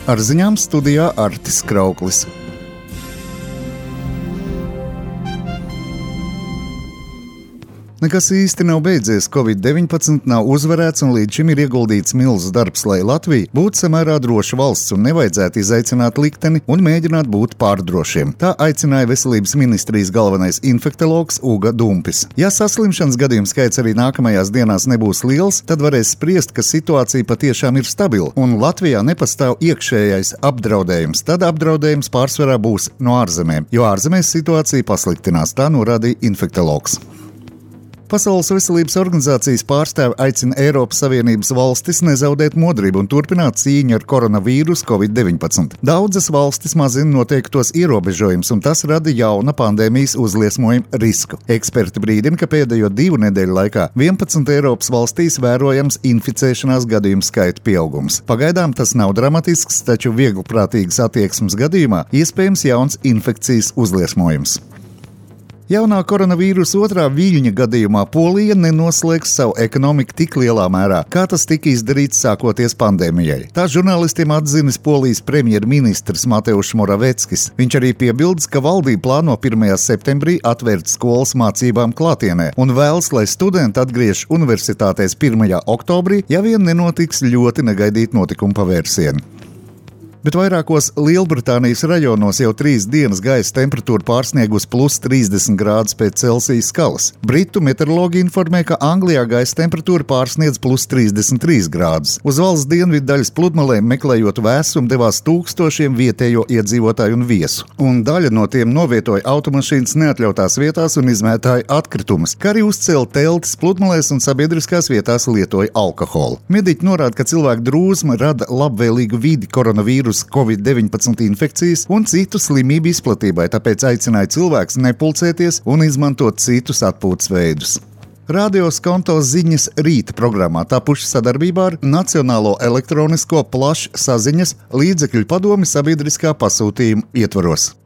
Ar ziņām studijā Artis Krauklis. Nekas īsti nav beidzies, Covid-19 nav uzvarēts un līdz šim ir ieguldīts milzu darbs, lai Latvija būtu samērā droša valsts un nevajadzētu izaicināt likteni un mēģināt būt pārdrošiem. Tā aicināja Veselības ministrijas galvenais infektologs Uga Dumpis. Ja saslimšanas gadījumu skaits arī nākamajās dienās nebūs liels, tad varēs spriest, ka situācija patiešām ir stabila un Latvijā nepastāv iekšējais apdraudējums. Tad apdraudējums pārsvarā būs no ārzemēm, jo ārzemēs situācija pasliktinās, tā norādīja infektologs. Pasaules veselības organizācijas pārstāvi aicina Eiropas Savienības valstis nezaudēt modrību un turpināt cīņu ar koronavīrusu Covid-19. Daudzas valstis mazina noteiktos ierobežojumus, un tas rada jauna pandēmijas uzliesmojuma risku. Eksperti brīdina, ka pēdējo 2 nedēļu laikā 11 Eiropas valstīs vērojams inficēšanās gadījumu skaita pieaugums. Pagaidām tas nav dramatisks, taču vieglprātīgas attieksmes gadījumā iespējams jauns infekcijas uzliesmojums. Jaunā koronavīrusa otrā viļņa gadījumā Polija nenoslēgs savu ekonomiku tik lielā mērā, kā tas tika izdarīts sākoties pandēmijai. Tā žurnālistiem atzinis Polijas premjerministrs Mateusz Moraveckis. Viņš arī piebildes, ka valdība plāno 1. septembrī atvērt skolas mācībām klātienē un vēlas, lai studenti atgriež universitātēs 1. oktobrī, ja vien nenotiks ļoti negaidīt notikumu pavērsieni. Bet vairākos Lielbritānijas rajonos jau 3 dienas gaisa temperatūra pārsniegus +30 grādus pēc Celsija skalas. Britu meteorologi informē, ka Anglijā gaisa temperatūra pārsniedz +33 grādus. Uz valsts dienvidu daļas pludmalēm meklējot vēsumu devās tūkstošiem vietējo iedzīvotāju un viesu. Un daļa no tiem novietoja automašīnas neatļautās vietās un izmētāja atkritumus, kā arī uzcēla teltis pludmalēs un sabiedriskās vietās lietoja alkoholu. Mediķi norāda, ka cilvēku drūzma rada labvēlīgu vidi koronavīrusu Covid-19 infekcijas un citu slimību izplatībai, tāpēc aicināja cilvēkus nepulcēties un izmantot citus atpūtas veidus. Radio Skonto ziņas rīta programmā tapuši sadarbībā ar Nacionālo elektronisko plašsaziņas līdzekļu padomi sabiedriskā pasūtījuma ietvaros.